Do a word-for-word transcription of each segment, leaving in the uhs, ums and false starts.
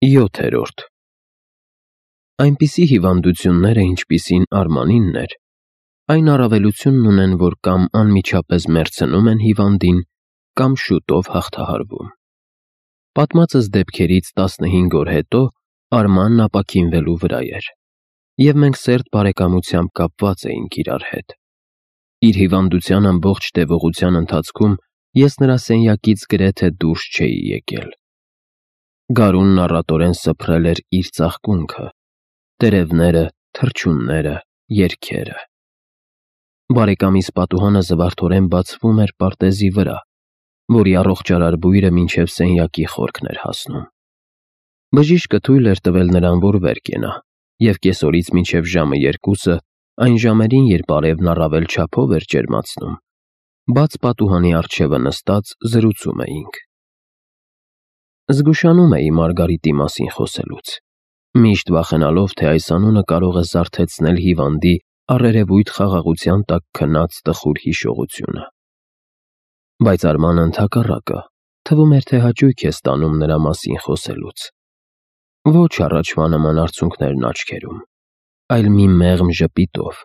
յոթերորդ Այնպիսի հիվանդությունները, ինչպիսին Արմանինն էր, այն առավելությունն ունեն, որ կամ անմիջապես մեռցնում են հիվանդին, կամ շուտով հաղթահարվում։ Պատմածս դեպքերից տասնհինգ օր հետո Արմանն ապաքինվելու վրա էր, և մենք սերտ բարեկամությամբ կապված էինք իրար հետ։ Իր հիվանդության ամբողջ տևողության ընթացքում ես նրա սենյակից գրեթե դուրս չէի եկել։ Գարունն առատորեն սփռել էր իր ծաղկունքը, տերևները, թռչունները, երգերը։ Բարեկամիս պատուհանը զվարթորեն բացվում էր պարտեզի վրա, որի առողջարար բույրը մինչև սենյակի խորքն էր հասնում։ Բժիշկը թույլ էր տվել նրան, որ վեր կենա, և կեսօրից մինչև ժամը երկուսը, այն ժամերին, երբ արևն առավել չափով էր ջերմացնում, բաց պատուհանի առջևը նստած զրուցում էինք։ Զգուշանում էի Մարգարիտի մասին խոսելուց, միշտ վախենալով, թե այս անունը կարող է զարթեցնել հիվանդի առերևույթ խաղաղության տակ քնած տխուր հիշողությունը։ Բայց Արմանը ընդհակառակը, թվում էր, թե հաճույք է ստանում նրա մասին խոսելուց։ Ոչ առաջվա նման արցունքներն աչքերում, այլ մի մեղմ ժպիտով,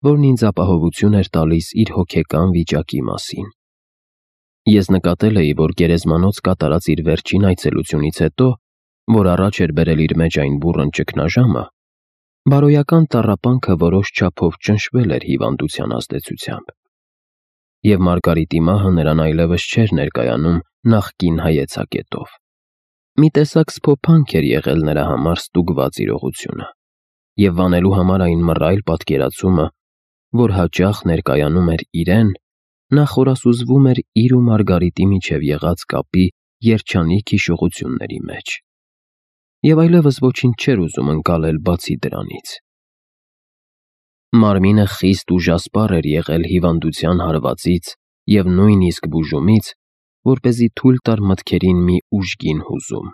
որն ինձ ապահովություն էր տալիս իր հոգեկան վիճակի մասին։ Ես նկատել էի, որ գերեզմանոց կատարած իր վերջին այցելությունից հետո, որ առաջ էր բերել իր մեջ այն բուռն ճգնաժամը, բարոյական տառապանքը որոշ չափով ճնշվել էր հիվանդության ազդեցությամբ, և Մարգարիտի մահը նրան այլևս չէր ներկայանում նախկին հայեցակետով։ Մի տեսակ սփոփանք էր եղել նրա համար ստուգված իրողությունը, և վանելու համար այն մռայլ պատկերացումը, որ հաճախ ներկայանում էր իրեն, նա խորասուզվում էր իր ու Մարգարիտի միջև եղած կապի երջանիկ հիշողությունների մեջ, և այլևս ոչինչ չէր ուզում ընկալել բացի դրանից։ Մարմինը խիստ ուժասպառ էր եղել հիվանդության հարվածից և նույնիսկ բուժումից, որպեսզի թույլ տար մտքերին մի ուժգին հուզում,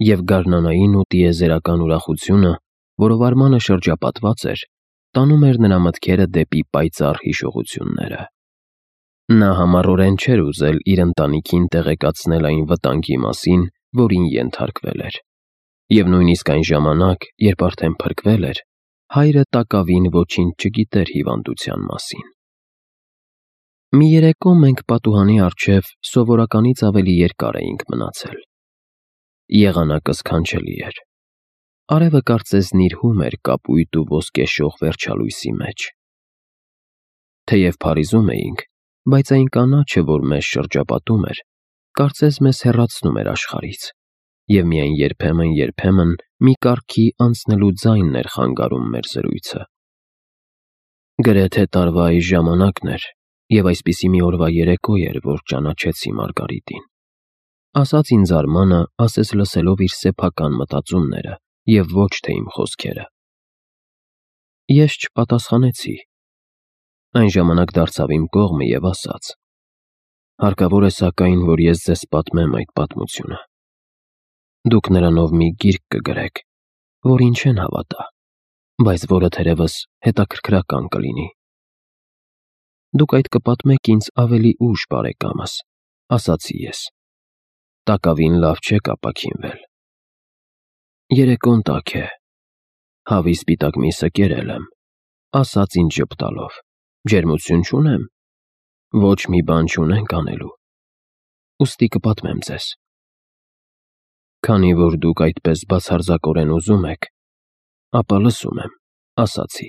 և գարնանային ու տիեզերական ուրախությունը, որով Արմանը շրջապատված էր, տանում էր նրա մտքերը դեպի պայծառ հիշողությունները։ Նա համառորեն չէր ուզել իր ընտանիքին տեղեկացնել այն վտանգի մասին, որին ենթարկվել էր, և նույնիսկ այն ժամանակ, երբ արդեն փրկվել էր, հայրը տակավին ոչինչ չգիտեր հիվանդության մասին։ Մի երեկո մենք պատուհանի առջև սովորականից ավելի երկար էինք մնացել։ Եղանակը սքանչելի էր։ Արևը կարծես նիրհում էր կապույտ ու ոսկեշող վերջալույսի մեջ։ Թեև Փարիզում էինք, բայց այն կանաչը, որ մեզ շրջապատում էր, կարծես մեզ հեռացնում էր աշխարհից, և միայն երբեմն-երբեմն մի կառքի անցնելու ձայնն էր խանգարում մեր զրույցը։ Գրեթե տարվա այս ժամանակն էր, և այսպիսի մի օրվա երեկո էր, որ ճանաչեցի Մարգարիտին, ասաց ինձ Արմանը, ասես լսելով իր սեփական մտածումները և ոչ թե իմ խոսքերը։ Ես չպատասխանեցի։ Այն ժամանակ դարձավ իմ կողմը և ասաց. «Հարկավոր է սակայն, որ ես ձեզ պատմեմ այդ պատմությունը։ Դուք նրանով մի գիրք կգրեք, որին չեն հավատա, բայց որը թերևս հետաքրքրական կլինի»։ «Դուք այդ կպատմեք ինձ ավելի ուշ, բարեկամս», ասացի ես։ «Տակավին լավ չեք ապաքինվել»։ «Երեկոն տաք է, հավի սպիտակ միսը կերել եմ», ասաց ինձ ժպտալով։ «Ջերմություն չունեմ։ Ոչ մի բան չունենք անելու, ուստի կպատմեմ ձեզ»։ «Քանի որ դուք այդպես բացարձակորեն ուզում եք, ապա լսում եմ», ասացի։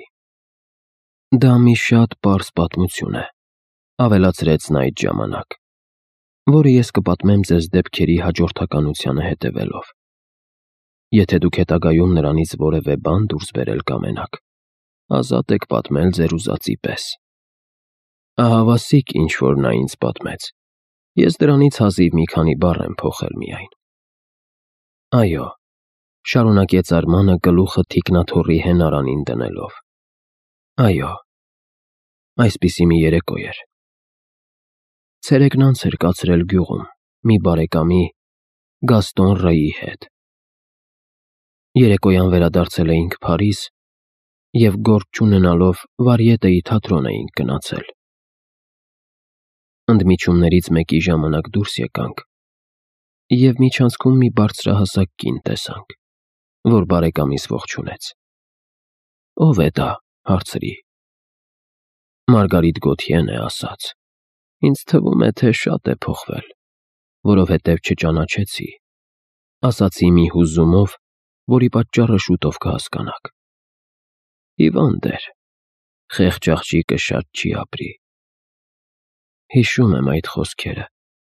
«Դա մի շատ պարզ պատմություն է», ավելացրեց նա այդ ժամանակ, «որը ես կպատմեմ ձեզ դեպքերի հաջորդականությանը հետևելով։ Եթե դուք հետագայում նրանից որևէ բան դուրս բերել կամենաք, ազատ եք պատմել ձեր ուզածի պես»։ Ահավասիկ ինչ-որ նա ինձ պատմեց, ես դրանից հազիվ մի քանի բառ եմ փոխել միայն։ «Այո», շարունակեց Արմանը գլուխը թիկնաթոռի հենարանին դնելով, «այո, այսպիսի մի երեկո էր։ Ցերեկն անց էր կացրել գյուղում, մի բարեկամի՝ Գաստոն Ռեի հետ։ Երեկոյան վերադարձել էինք Փարիզ և գործ չունենալով Վարիետեի թատրոն էինք գնացել։ Ընդմիջումներից մեկի ժամանակ դուրս եկանք, և միջանցքում մի բարձրահասակ կին տեսանք, որ բարեկամիս ողջունեց։ «Ո՞վ է դա», հարցրի։ Մարգարիտ Գոթյեն է ասաց. «Ինձ թվում է, թե շատ է փոխվել, որովհետև չճանաչեցի», ասացի մի հուզումով, որի պատճառը շուտով կհասկանաք։ Հիվանդ էր, խեղճ աղջիկը շատ չի ապրի։ Հիշում եմ այդ խոսքերը,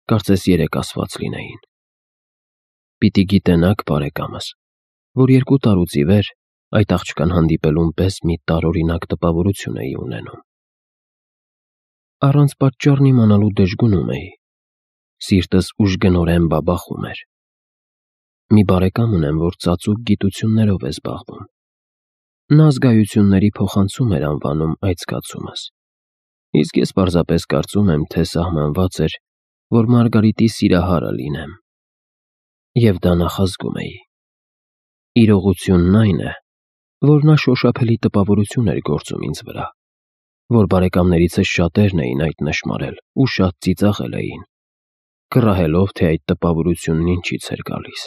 կարծես երեկ ասված լինեին։ Պիտի գիտենաք, բարեկամս, որ երկու տարուց ի վեր այդ աղջկան հանդիպելուն պես մի տարօրինակ տպավորություն էի ունենում։ Առանց պատճառն իմանալու դժգունում էի, սիրտս ուժգնորեն բաբախում էր։ Մի բարեկամ ունեմ, որ ծածուկ գիտություններով է զբաղվում։ Նա զգայությունների փոխանցում էր անվանում այդ զգացումս, իսկ ես պարզապես կարծում եմ, թե սահմանված էր, որ Մարգարիտի սիրահարը լինեմ, և դա նախազգում էի։ Իրողությունն այն է, որ նա շոշափելի տպավորություն էր գործում ինձ վրա, որ բարեկամներիցս շատերն էին այդ նշմարել ու շատ ծիծաղել էին, կռահելով, թե այդ տպավորությունն ինչից էր գալիս։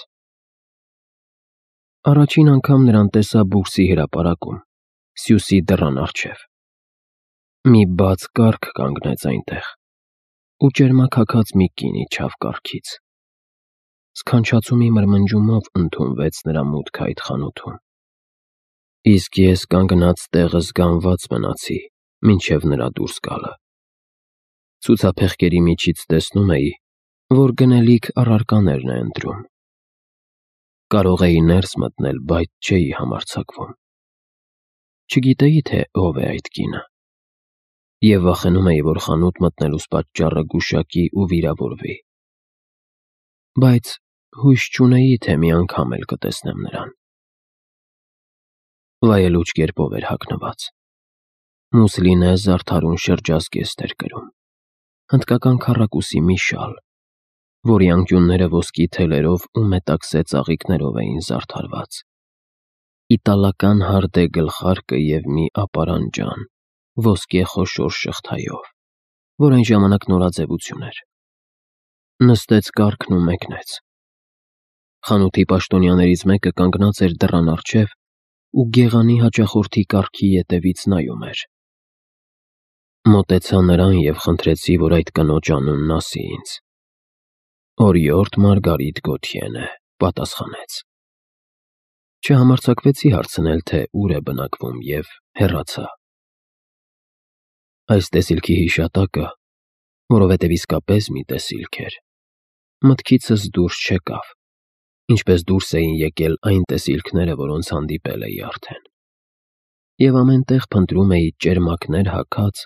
Առաջին անգամ նրան տեսա բուրսի հրապարակում, Սյուսի դռան առջև։ Մի բաց կառք կանգնեց այնտեղ, ու ճերմաքաքած մի կին իջավ կառքից։ Սքանչացումի մրմնջումով ընդունվեց նրա մուտքը այդ խանութում, իսկ ես կանգնած տեղս զգանված մնացի, մինչև նրա դուրս գալը։ Ցուցափեղկերի միջից տեսնում էի, որ գնելիք առարկաներն է ընտրում։ Կարող էի ներս մտնել, բայց չէի համարձակվում։ Չգիտեի, թե ով է այդ կինը, և վախենում էի, որ խանութ մտնելուս պատճառը գուշակի ու վիրավորվի։ Բայց հույս չունեի, թե մի անգամ էլ կտեսնեմ նրան։ Վայելուչ կերպով էր հագնված։ Մուսլինե զարդարուն շրջազգեստ էր կրում, հնդկական քառակուսի մի շալ, որի անկյունները ոսկի թելերով ու մետաքսե ծաղիկներով էին զարդարված, իտալական հարդե գլխարկը և մի ապարանջան, ոսկե խոշոր շղթայով, որ այն ժամանակ նորաձևություն էր։ Նստեց կառքն ու մեկնեց։ Խանութի պաշտոնյաներից մեկը կանգնած էր դռան առջև ու գեղանի հաճախորդի կառքի ետևից նայում էր։ Մոտեցա նրան և խնդրեցի, որ այդ կնոջ անունն ասի ինձ։ Օրիորդ Մարգարիտ Գոթյեն է, պատասխանեց։ Չհամարձակվեցի հարցնել, թե ուր է բնակվում, և հեռացա։ Այս տեսիլքի հիշատակը, որովհետև իսկապես մի տեսիլք էր, մտքիցս դուրս չեկավ, ինչպես դուրս էին եկել այն տեսիլքները, որոնց հանդիպել էի արդեն, և ամեն տեղ փնտրում էի ճերմակներ հագած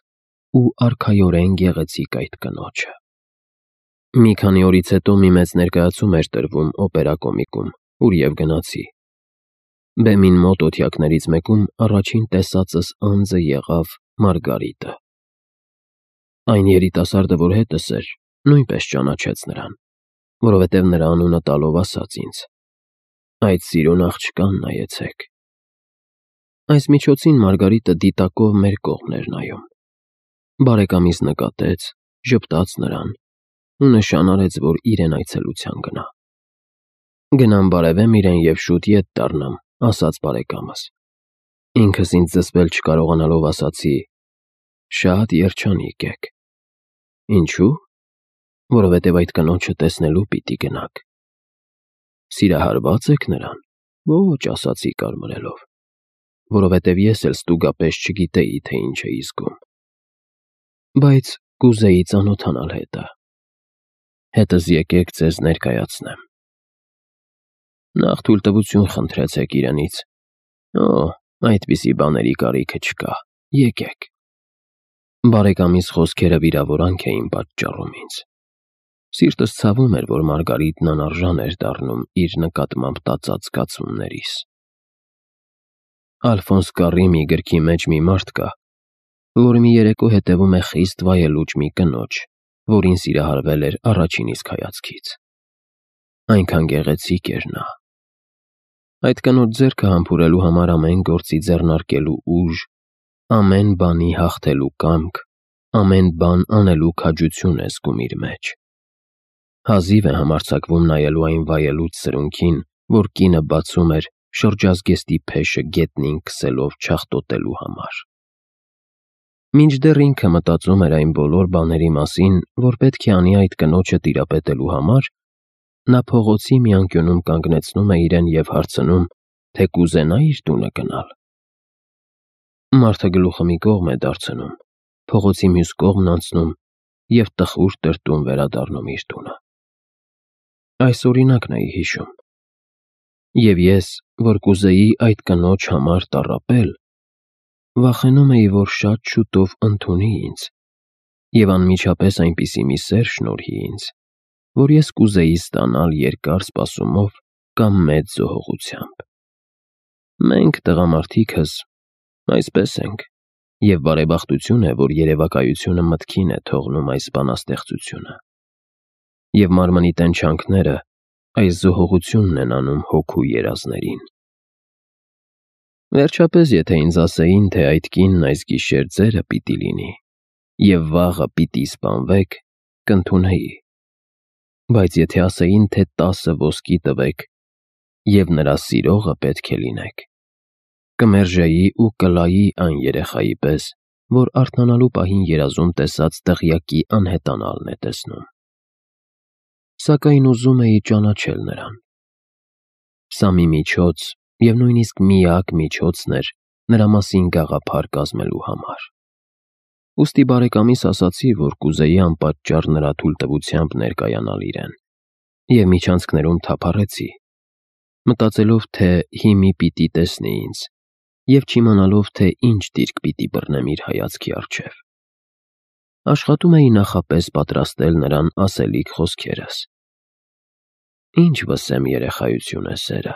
ու արքայորեն գեղեցիկ այդ կնոջը։ Մի քանի օրից հետո մի մեծ ներկայացում էր տրվում օպերա կոմիկում, ուր և գնացի։ Բեմին մոտ օթյակներից մեկում առաջին տեսածս անձը եղավ Մարգարիտը։ Այն երիտասարդը, որ հետս էր, նույնպես ճանաչեց նրան, որովհետև նրա անունը տալով ասաց ինձ. «Այդ սիրուն աղջկան նայեցեք»։ Այս միջոցին Մարգարիտը դիտակով մեր կողմն էր նայում։ Բարեկամիս նկատեց, ժպտաց նրան ու նշան արեց, որ իրեն այցելության գնա։ «Գնամ բարևեմ իրեն և շուտ ետ դառնամ», ասաց բարեկամս։ Ինքս ինձ զսպել չկարողանալով ասացի. «Շատ երջանիկ եք»։ Ինչու՞։ Որովհետև այդ կնոջը տեսնելու պիտի գնաք։ Սիրահարվա՞ծ եք նրան։ Ոչ, ասացի կարմրելով, որովհետև ես էլ ստուգապես չգիտեի, թե ինչ էի զգում։ Բայց կուզեի ծանոթանալ հետը։ Հետս եկեք ձեզ ներկայացնեմ։ Նախ թույլտվություն խնդրեցեք իրենից։ Օ, այդպիսի բաների կարիքը չկա, եկեք։ Բարեկամիս խոսքերը վիրավորանք էին պատճառում ինձ։ Սիրտս ցավում էր, որ Մարգարիտն անարժան էր դառնում իր նկատմամբ տածած զգացումներիս։ Ալֆոնս Կարրի մի գրքի մեջ մի մարդ կա, որ մի երեկո հետևում է խիստ վայելուչ մի կնոջ, որին սիրահարվել էր առաջին իսկ հայացքից։ Այնքան գեղեցիկ էր նա։ Այդ կնոջ ձեռքը համբուրելու համար ամեն գործի ձեռնարկելու ուժ, ամեն բանի հաղթելու կամք, ամեն բան անելու քաջություն է զգում իր մեջ։ Հազիվ է համարձակվում նայելու այն վայելուց սրունքին, որ կինը բացում էր շրջազգեստի փեշը գետնին քսելով չախտոտելու համար։ Մինչդեռ ինքը մտածում էր այն բոլոր բաների մասին, որ պետք է անի այդ կնոջը տիրապետելու համար, նա փողոցի մի անկյունում կանգնեցնում է իրեն և հարցնում, թե կուզենա իր տունը գնալ։ Մարդը գլուխը մի կողմ է դարձնում, փողոցի մյուս կողմն անցնում և տխուր տրտում վերադառնում իր տունը։ Այս օրինակն էի հիշում։ Եվ ես, որ կուզեի այդ կնոջ համար տառապել, վախենում էի, որ շատ շուտով ընդունի ինձ և անմիջապես այնպիսի մի սեր շնորհի ինձ, որ ես կուզեի ստանալ երկար սպասումով կամ մեծ զոհողությամբ։ Մենք, տղամարդիկս, այսպես ենք, և բարեբախտություն է, որ երևակայությունը մտքին է թողնում այս բանաստեղծությունը, և մարմնի տենչանքները այս զոհողությունն են անում հոգու երազներին։ Վերջապես, եթե ինձ ասեին, թե այդ կինն այս գիշեր ձերը պիտի լինի, և վաղը պիտի սպանվեք, կընդունեի, բայց եթե ասեին, թե տասը ոսկի տվեք, և նրա սիրողը պետք է լինեք, կմերժեի ու կլայի այն երեխայի պես, որ արթնանալու պահին երազում տեսած դղյակի անհետանալն է տեսնում։ Սակայն ուզում էի ճանաչել նրան։ Սա մի միջոց և նույնիսկ միակ միջոցն էր նրա մասին գաղափար կազմելու համար։ Ուստի բարեկամիս ասացի, որ կուզեի անպատճառ նրա թույլտվությամբ ներկայանալ իրեն, և միջանցքներում թափառեցի, մտածելով, թե հիմի պիտի տեսնի ինձ, և չիմանալով, թե ինչ դիրք պիտի բռնեմ իր հայացքի առջև։ Աշխատում էի նախապես պատրաստել նրան ասելիք խոսքերս։ Ինչ վսեմ երեխայություն է սերը։